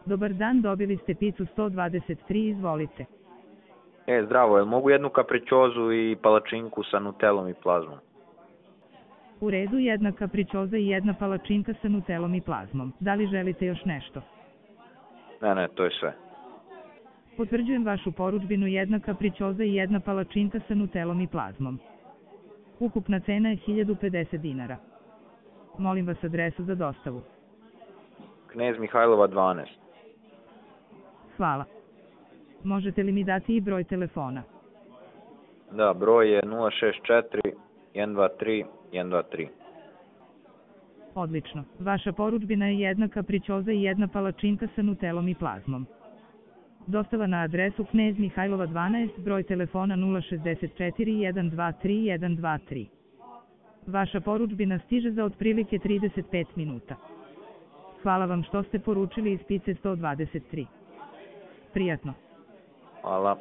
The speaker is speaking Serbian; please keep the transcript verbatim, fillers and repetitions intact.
Dobar dan, dobili ste picu sto dvadeset tri, izvolite. E, zdravo, jel mogu jednu kapričozu i palačinku sa nutelom i plazmom? U redu, jedna kapričoza i jedna palačinka sa nutelom i plazmom. Da li želite još nešto? Ne, ne, to je sve. Potvrđujem vašu porudžbinu, jedna kapričoza i jedna palačinka sa nutelom i plazmom. Ukupna cena je hiljadu pedeset dinara. Molim vas adresu za dostavu. Knez Mihajlova dvanaest. Hvala. Možete li mi dati i broj telefona? Da, broj je nula šest četiri jedan dva tri jedan dva tri. Odlično. Vaša porudžbina je jedna kapričoza i jedna palačinka sa nutelom i plazmom. Dostava na adresu Knez Mihajlova dvanaest, broj telefona nula šest četiri jedan dva tri jedan dva tri. Vaša porudžbina stiže za otprilike trideset pet minuta. Hvala vam što ste poručili iz pice sto dvadeset tri. Prijatno. Hvala.